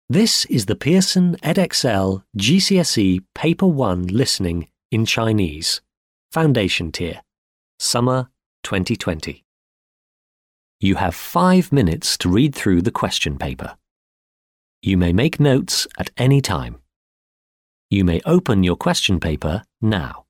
This is the Pearson edXL GCSE Paper 1 Listening in Chinese, Foundation Tier, Summer 2020. You have 5 minutes to read through the question paper. You may make notes at any time. You may open your question paper now.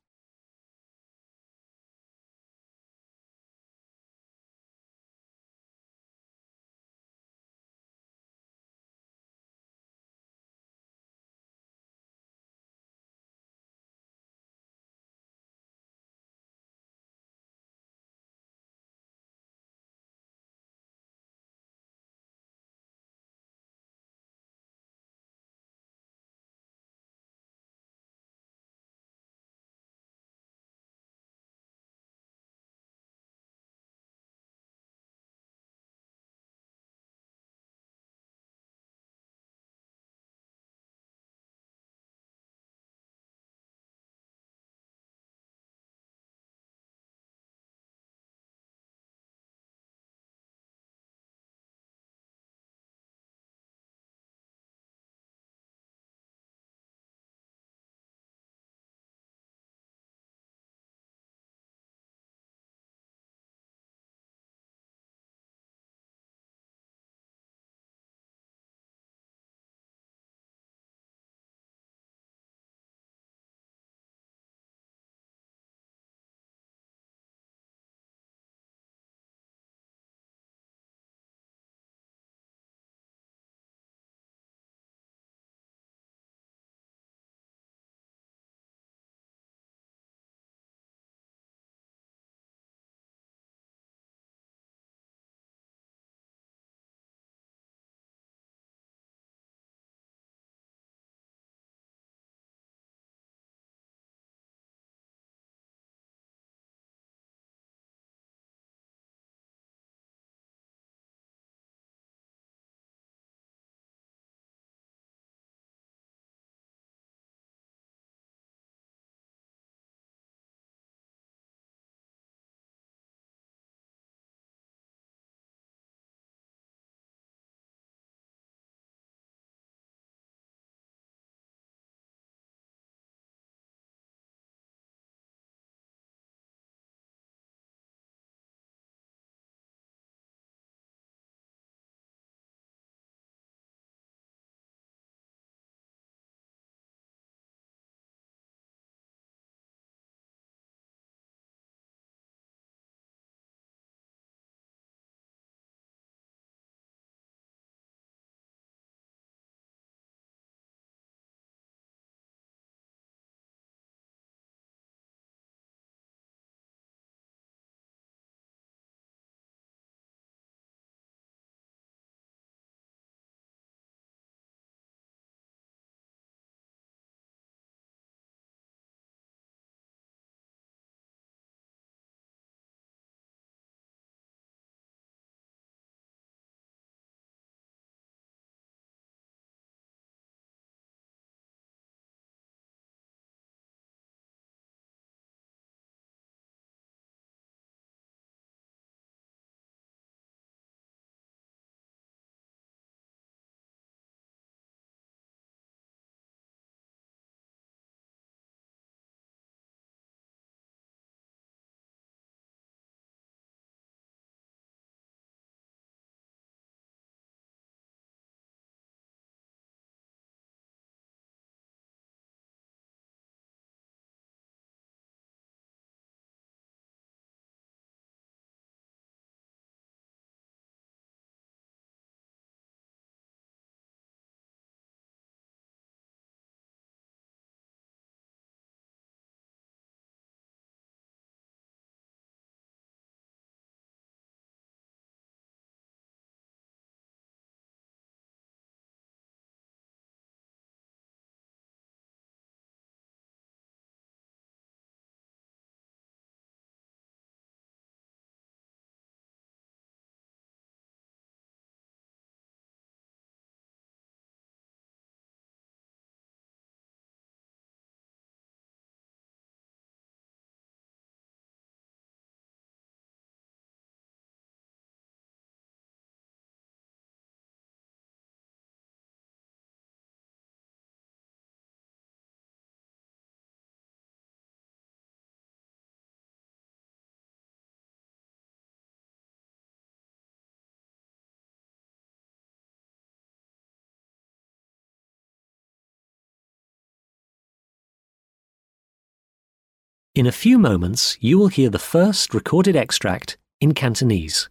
In a few moments, you will hear the first recorded extract in Cantonese.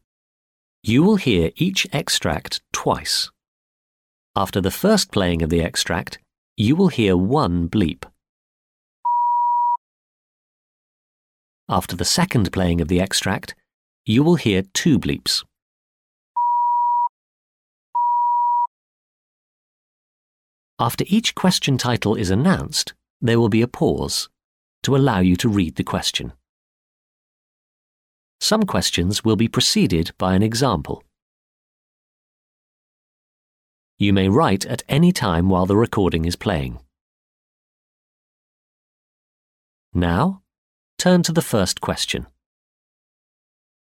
You will hear each extract twice. After the first playing of the extract, you will hear one bleep. After the second playing of the extract, you will hear two bleeps. After each question title is announced, there will be a pause to allow you to read the question. Some questions will be preceded by an example. You may write at any time while the recording is playing. Now, turn to the first question.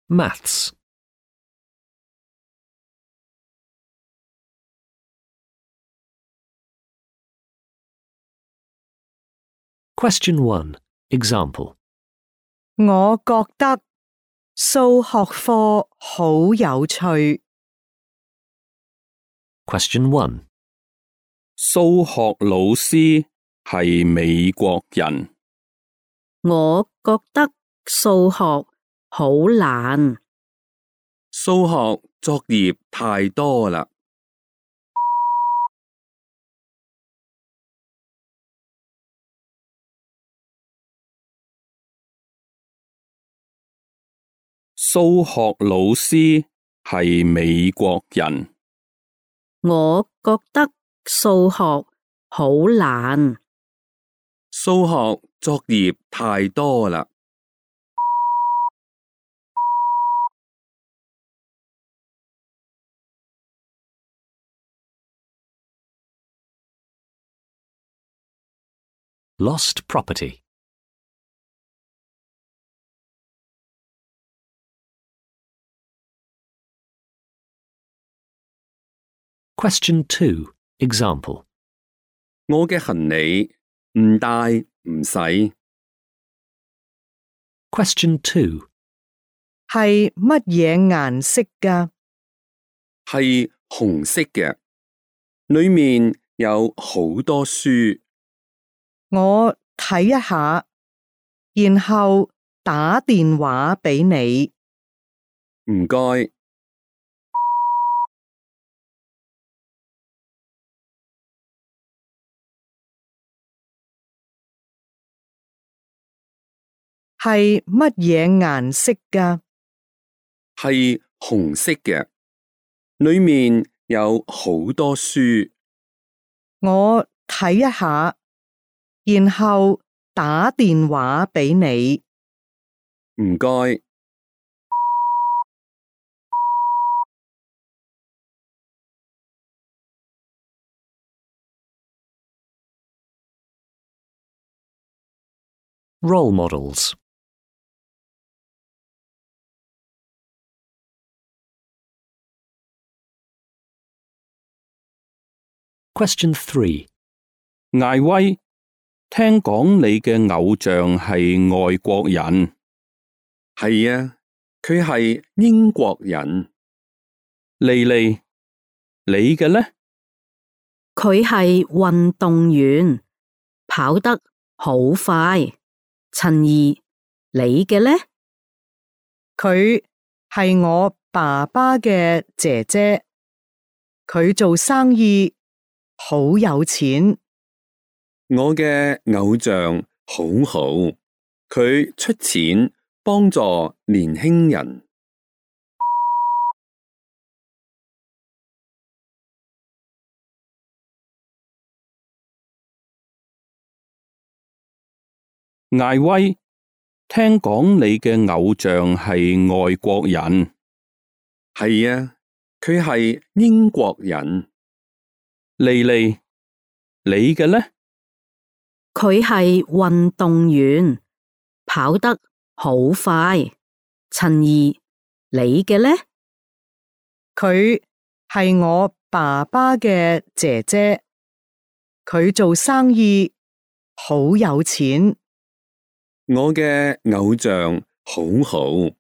Maths. Question 1. Example. 我覺得數學課好有趣。Question 1. 數學老師係美國人。我覺得數學好難。數學作業太多啦。數學老師係美國人。我覺得數學好難。數學作業太多啦。Lost property. Question 2. Example. 我嘅行李唔帶唔使。Question 2. 係乜嘢顏色㗎？係紅色嘅，裏面有好多書。我睇一下，然後打電話俾你。唔該。係乜嘢顏色㗎？係紅色嘅，裏面有好多書。我睇一下，然後打電話俾你。唔該。Role models. Question 3. 艾威，聽講你嘅偶像係外國人。係啊，佢係英國人。莉莉，你嘅呢？佢係運動員，跑得好快。陳怡，你嘅呢？佢係我爸爸嘅姐姐，佢做生意好有錢。我嘅偶像好好，佢出錢幫助年輕人。艾威，聽講你嘅偶像係外國人。係啊，佢係英國人。莉莉，你嘅呢？佢係運動員，跑得好快。陳怡，你嘅呢？佢係我爸爸嘅姐姐，佢做生意好有錢。我嘅偶像好好，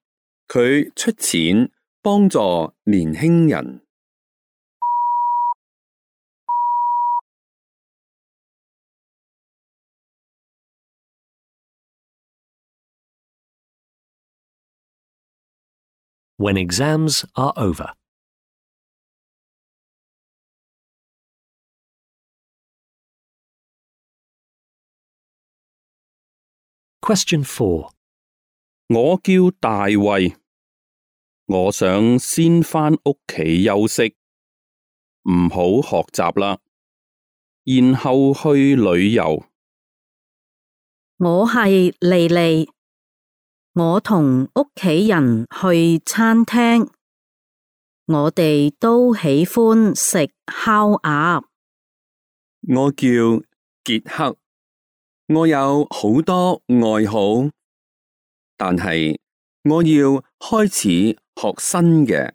佢出錢幫助年輕人。when exams are over. Question 4. 我叫大衛，我想先返屋企休息，唔好學習啦，然後去旅遊。我係莉莉，我同屋企人去餐廳，我哋都喜歡食烤鴨。我叫傑克，我有好多愛好，但係我要開始學新嘅。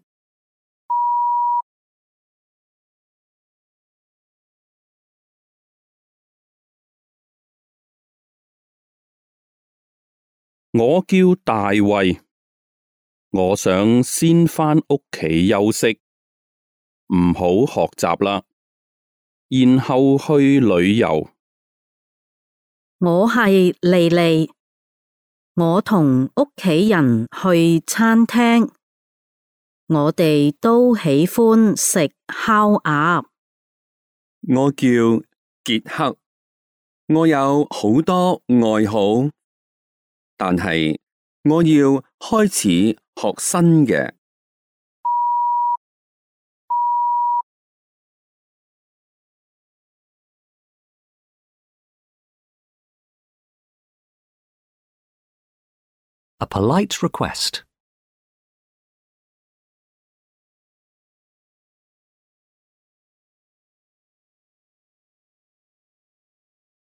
我叫大衛，我想先返屋企休息，唔好學習啦，然後去旅遊。我係莉莉，我同屋企人去餐廳，我哋都喜歡食烤鴨。我叫傑克，我有好多愛好，但係我要開始學新嘅。A polite request.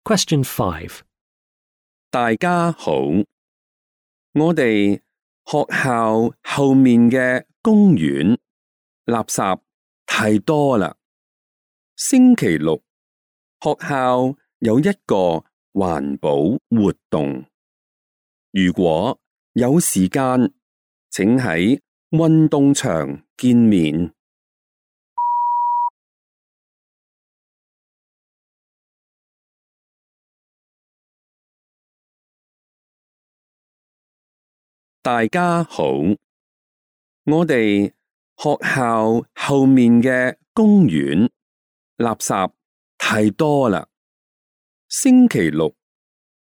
Question 5. 大家好，我哋學校後面嘅公園垃圾太多啦。星期六，學校有一個環保活動。如果有時間，請喺運動場見面。大家好，我哋學校後面嘅公園垃圾太多啦。星期六，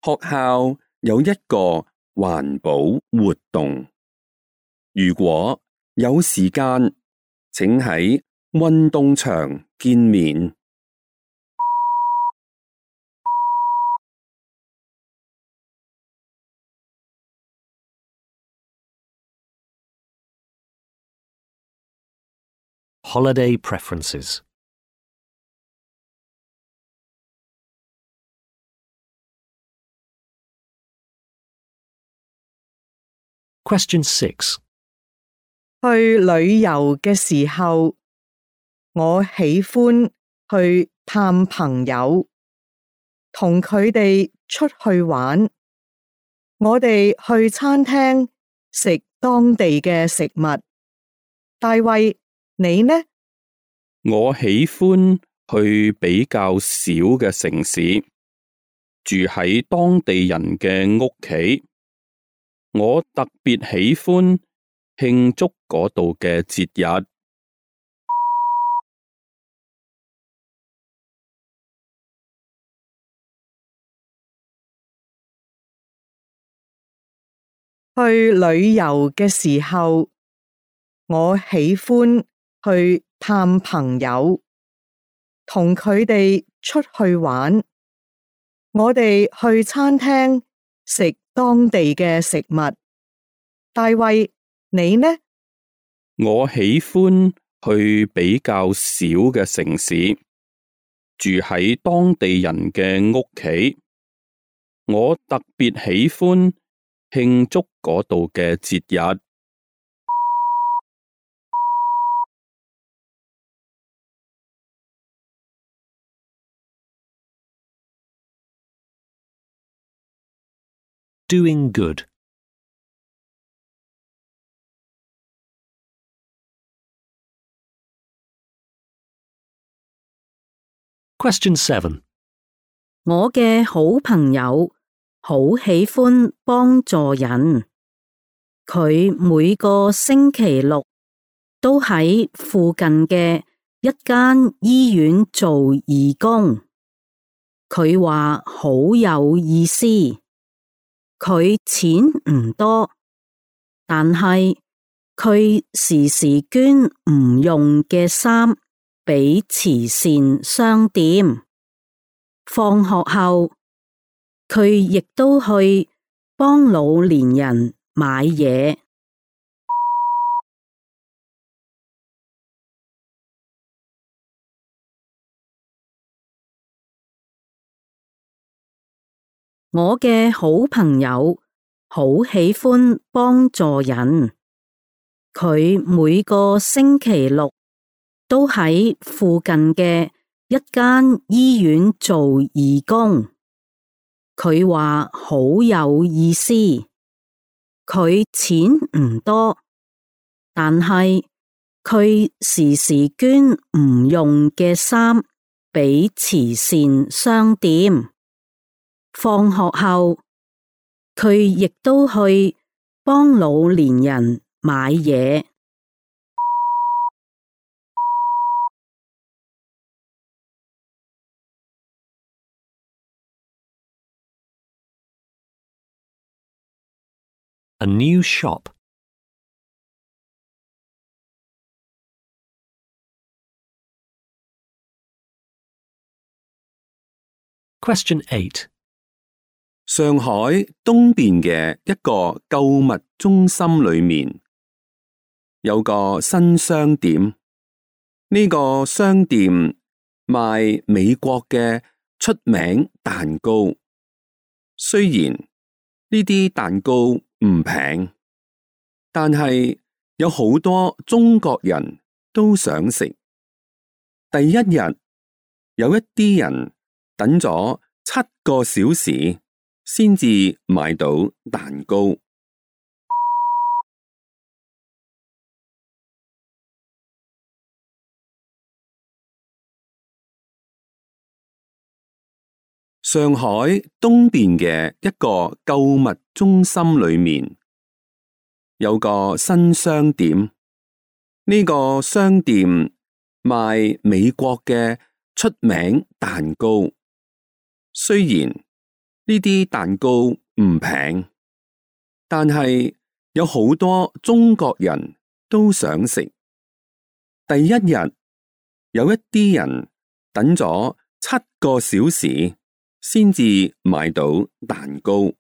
學校有一個環保活動。如果有時間，請喺運動場見面。Holiday preferences. Question 6. 去旅遊嘅時候，我喜歡去探朋友，同佢哋出去玩。我哋去餐廳食當地嘅食物。大衛，你呢？我喜歡去比較小嘅城市，住喺當地人嘅屋企。我特別喜歡慶祝嗰度嘅節日。去旅遊嘅時候，我喜歡去探朋友，同佢哋出去玩。我哋去餐廳食當地嘅食物。大衛，你呢？我喜歡去比較小嘅城市，住喺當地人嘅屋企。我特別喜歡慶祝嗰度嘅節日。Doing good. Question 7. 我嘅好朋友好喜歡幫助人，佢每個星期六都喺附近嘅一間醫院做義工。佢話好有意思。佢錢唔多，但係佢時時捐唔用嘅衫俾慈善商店。放學後，佢亦都去幫老年人買嘢。我嘅好朋友好喜歡幫助人。佢每個星期六都喺附近嘅一間醫院做義工。佢話好有意思。佢錢唔多，但係佢時時捐唔用嘅衫俾慈善商店。放學後，佢亦都去幫老年人買嘢。A new shop. Question 8. 上海東邊嘅一個購物中心裏面有個新商店，呢個商店賣美國嘅出名蛋糕。雖然呢啲蛋糕唔平，但係有好多中國人都想食。第一日，有一啲人等咗7個小時先至買到蛋糕。上海東邊嘅一個購物中心裏面有個新商店，呢個商店賣美國嘅出名蛋糕。雖然呢啲蛋糕唔平，但係有好多中國人都想食。第一日，有一啲人等咗7個小時先至買到蛋糕。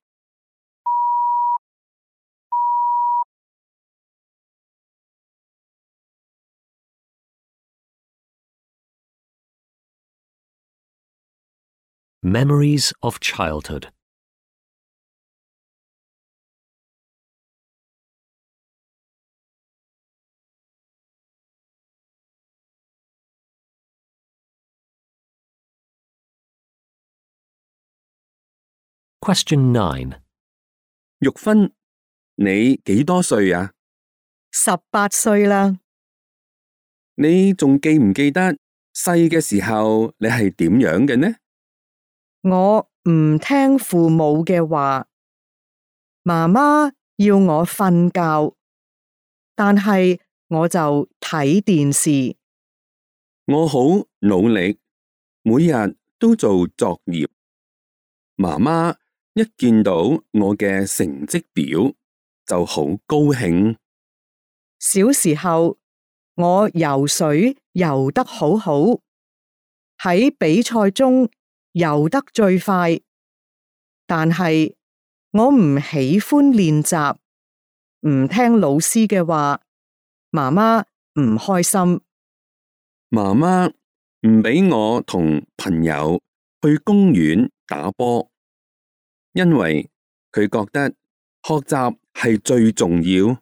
Memories of childhood. Question 9. 玉芬，你幾多歲啊18歲啦。你仲記唔記得細嘅時候你係點樣嘅呢？我唔聽父母嘅話，媽媽要我瞓覺，但係我就睇電視。我好努力，每日都做作業。媽媽一見到我嘅成績表就好高興。小時候，我游水游得好好，喺比賽中游得最快，但係我唔喜歡練習，唔聽老師嘅話，媽媽唔開心。媽媽唔俾我同朋友去公園打波，因為佢覺得學習係最重要。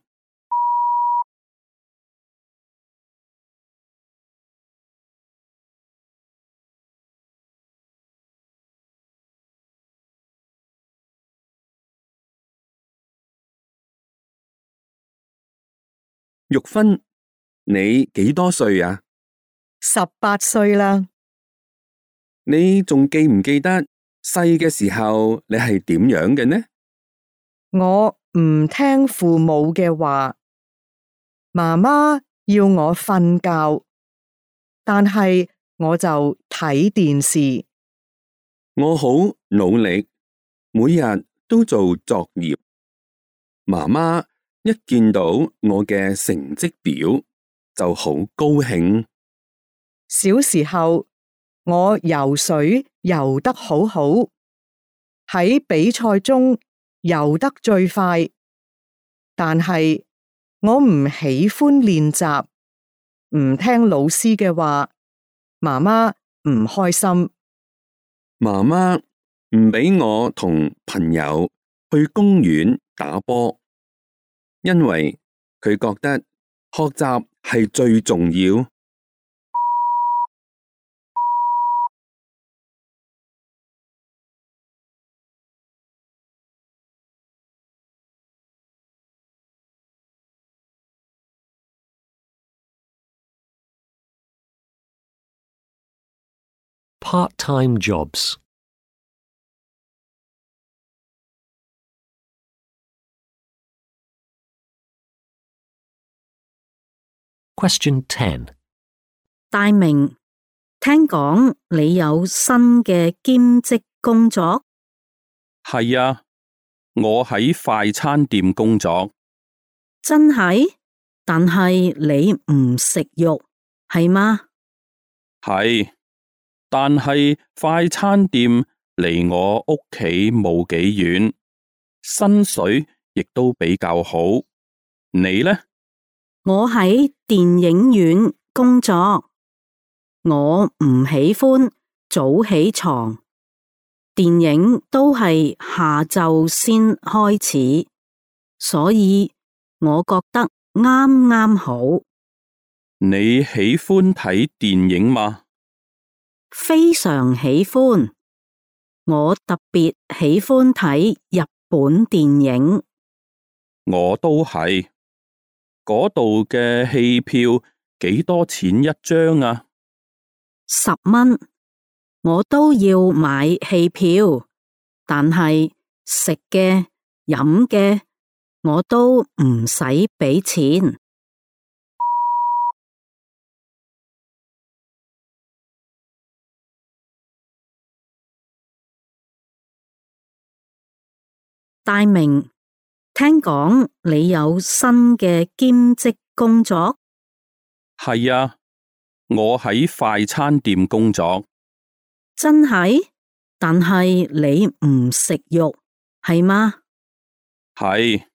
玉芬，你幾多歲啊18歲啦。你仲記唔記得細嘅時候你係點樣嘅呢？我唔聽父母嘅話，媽媽要我瞓覺，但係我就睇電視。我好努力，每日都做作業。媽媽一見到我嘅成績表就好高興。小時候，我游水游得好好，喺比賽中游得最快，但係我唔喜歡練習，唔聽老師嘅話，媽媽唔開心。媽媽唔俾我同朋友去公園打波，因為佢覺得學習係最重要。Part-time jobs. Question 10. 大明，聽講你有新嘅兼職工作？係啊，我喺快餐店工作。真係？但係你唔食肉，係嗎？係，但係快餐店離我屋企冇幾遠，薪水亦都比較好。你呢？我喺電影院工作，我唔喜歡早起床，電影都係下晝先開始，所以我覺得啱啱好。你喜歡睇電影嗎？非常喜歡，我特別喜歡睇日本電影。我都係。嗰度嘅戲票幾多錢一張啊？10蚊，我都要買戲票，但係食嘅、飲嘅，我都唔使俾錢。大明，聽講你有新嘅兼職工作？係啊，我喺快餐店工作。真係？但係你唔食肉，係嗎？係，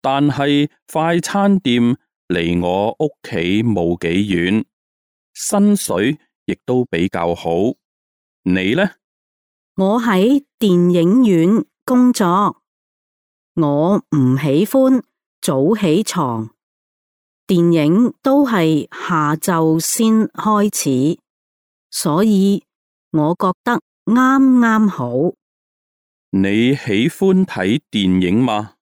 但係快餐店離我屋企冇幾遠，薪水亦都比較好。你呢？我喺電影院工作，我唔喜歡早起床，電影都係下晝先開始，所以我覺得啱啱好。你喜歡睇電影嗎？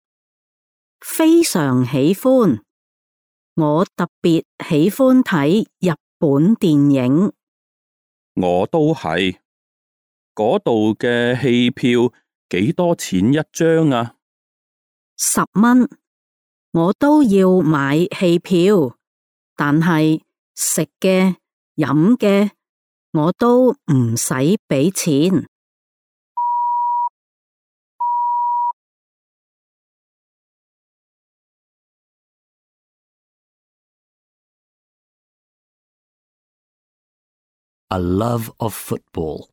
非常喜歡，我特別喜歡睇日本電影。我都係。嗰度嘅戲票幾多錢一張啊？10蚊，我都要買戲票，但係食嘅、飲嘅，我都唔使俾錢。A love of football.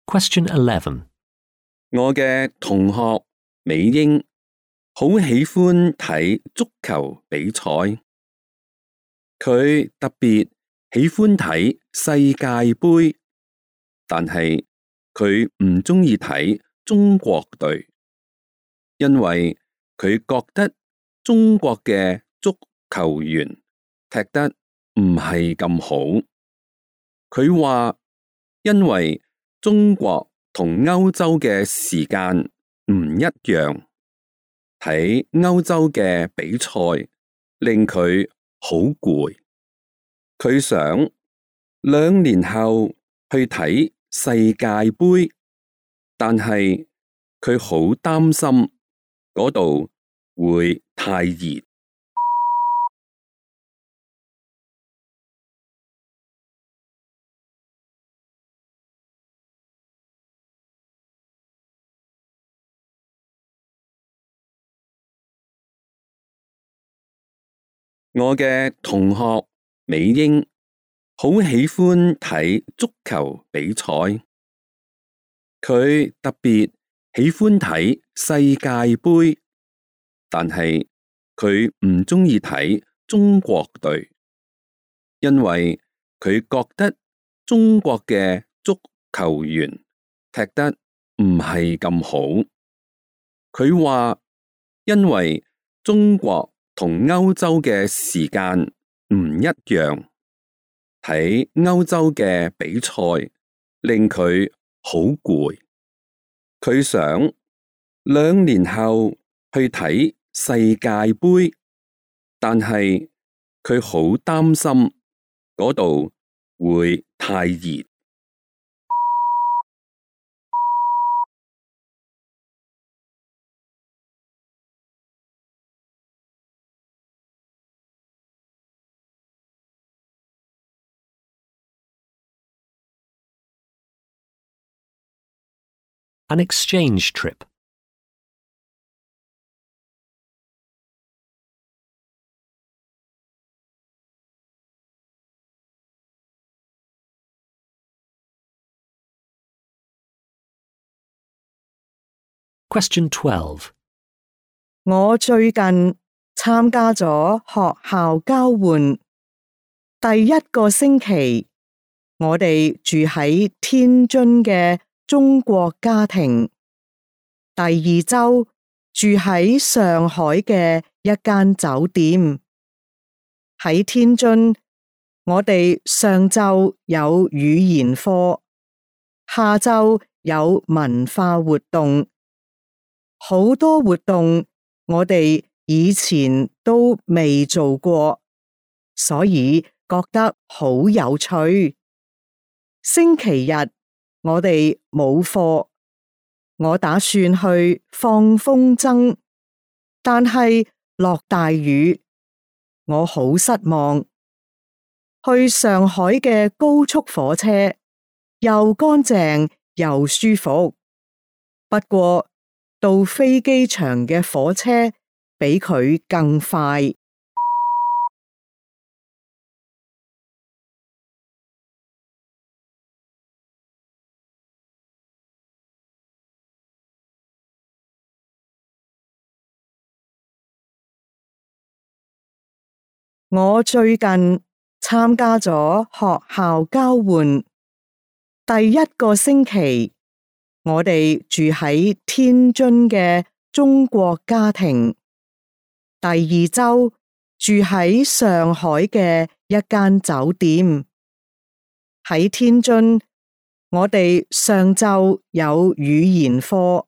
Question 11. 我嘅同學美英好喜歡睇足球比賽，佢特別喜歡睇世界盃，但係佢唔鍾意睇中國隊，因為佢覺得中國嘅足球員踢得唔係咁好。佢話因為中國同歐洲嘅時間唔一樣，睇歐洲嘅比賽令佢好攰，佢想2年後去睇世界盃，但係佢好擔心嗰度會太熱。我嘅同學美英好喜歡睇足球比賽，佢特別喜歡睇世界盃，但係佢唔鍾意睇中國隊，因為佢覺得中國嘅足球員踢得唔係咁好。佢話因為中國同歐洲嘅時間唔一樣，睇歐洲嘅比賽令佢好攰。佢想2年後去睇世界盃，但係佢好擔心嗰度會太熱。An exchange trip. Question 12. 我最近參加咗學校交換，第1個星期，我哋住喺天津嘅中國家庭，第2週住喺上海嘅一間酒店。喺天津，我哋上晝有語言課，下晝有文化活動，好多活動我哋以前都未做過，所以覺得好有趣。星期日我哋冇課，我打算去放風箏，但係落大雨，我好失望。去上海嘅高速火車又乾淨又舒服，不過到飛機場嘅火車比佢更快。我最近參加咗學校交換，第1個星期，我哋住喺天津嘅中國家庭，第2週住喺上海嘅一間酒店。喺天津，我哋上晝有語言課，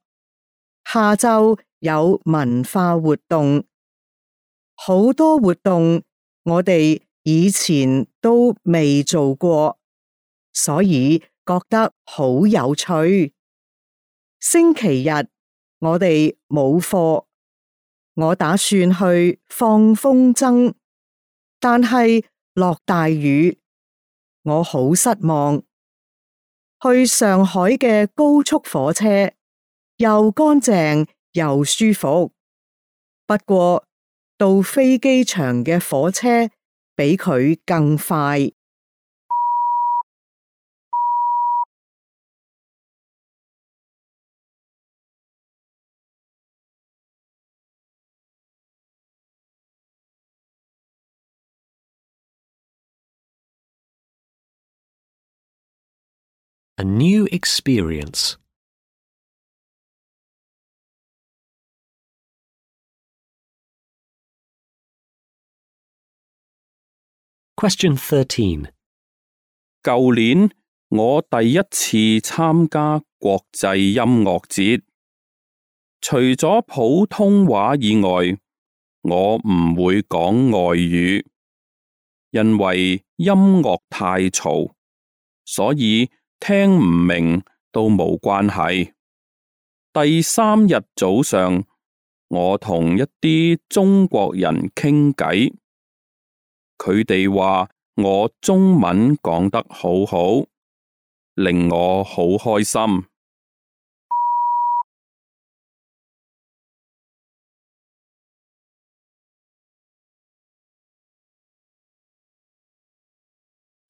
下晝有文化活動，好多活動我哋以前都未做過，所以覺得好有趣。星期日我哋冇課，我打算去放風箏，但係落大雨，我好失望。去上海嘅高速火車又乾淨又舒服，不過到飛機場嘅火車比佢更快。A new experience. Question 13. 舊年我第1次參加國際音樂節，除咗普通話以外，我唔會講外語，因為音樂太嘈，所以聽唔明都冇關係。第三日早上，我同一啲中國人傾偈，佢哋話我中文講得好好，令我好開心。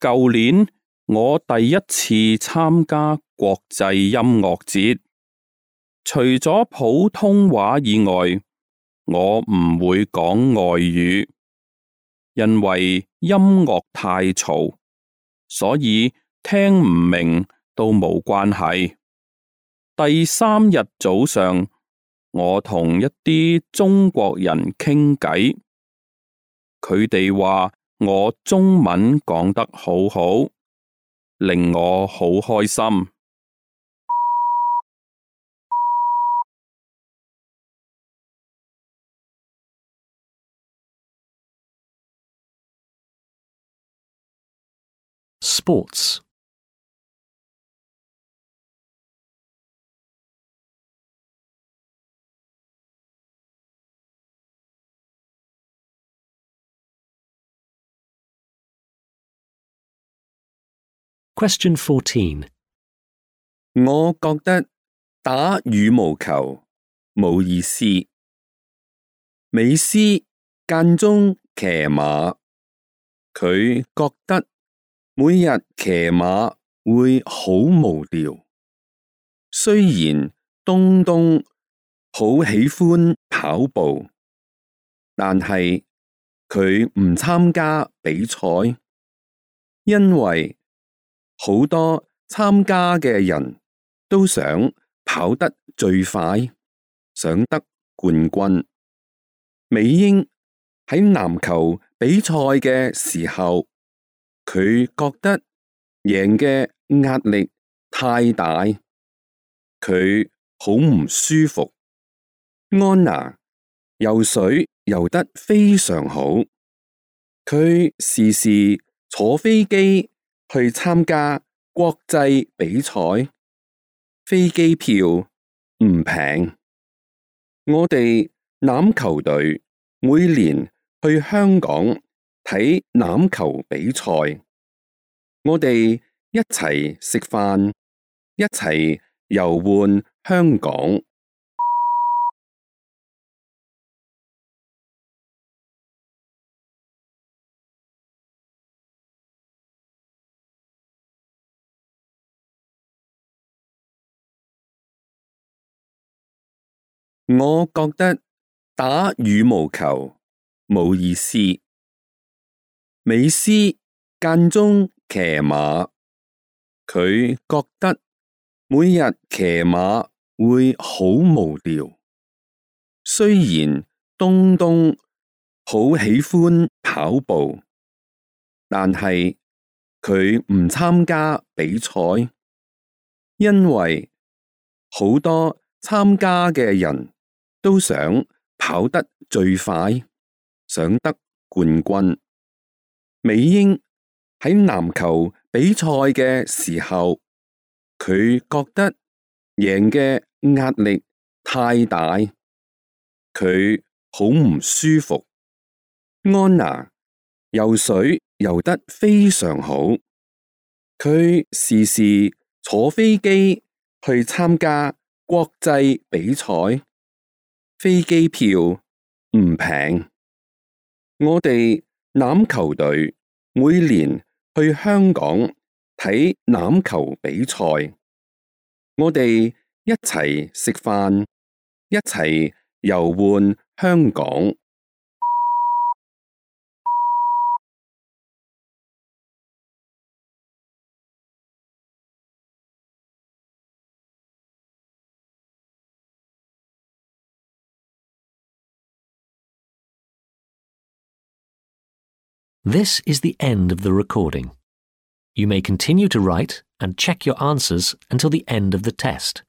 舊年我第一次參加國際音樂節，除咗普通話以外，我唔會講外語，因為音樂太嘈，所以聽唔明都冇關係。第三日早上，我同一啲中國人傾偈，佢哋話我中文講得好好，令我好開心。Sports. Question 14. 我覺得打羽毛球冇意思。美斯間中騎馬，佢覺得每日騎馬會好無聊。雖然東東好喜歡跑步，但係佢唔參加比賽，因為好多參加嘅人都想跑得最快，想得冠軍。美英喺籃球比賽嘅時候，佢覺得贏嘅壓力太大，佢好唔舒服。安娜游水游得非常好，佢時時坐飛機去參加國際比賽，飛機票唔平。我哋欖球隊每年去香港睇欖球比賽，我哋一齊食飯，一齊遊玩香港。我覺得打羽毛球冇意思。美斯間中騎馬，佢覺得每日騎馬會好無聊。雖然東東好喜歡跑步，但係佢唔參加比賽，因為好多參加嘅人都想跑得最快，想得冠軍。美英喺籃球比賽嘅時候，佢覺得贏嘅壓力太大，佢好唔舒服。安娜游水游得非常好，佢時時坐飛機去參加國際比賽，飛機票唔平。我哋欖球隊每年去香港睇欖球比賽，我哋一齊食飯，一齊遊玩香港。This is the end of the recording. You may continue to write and check your answers until the end of the test.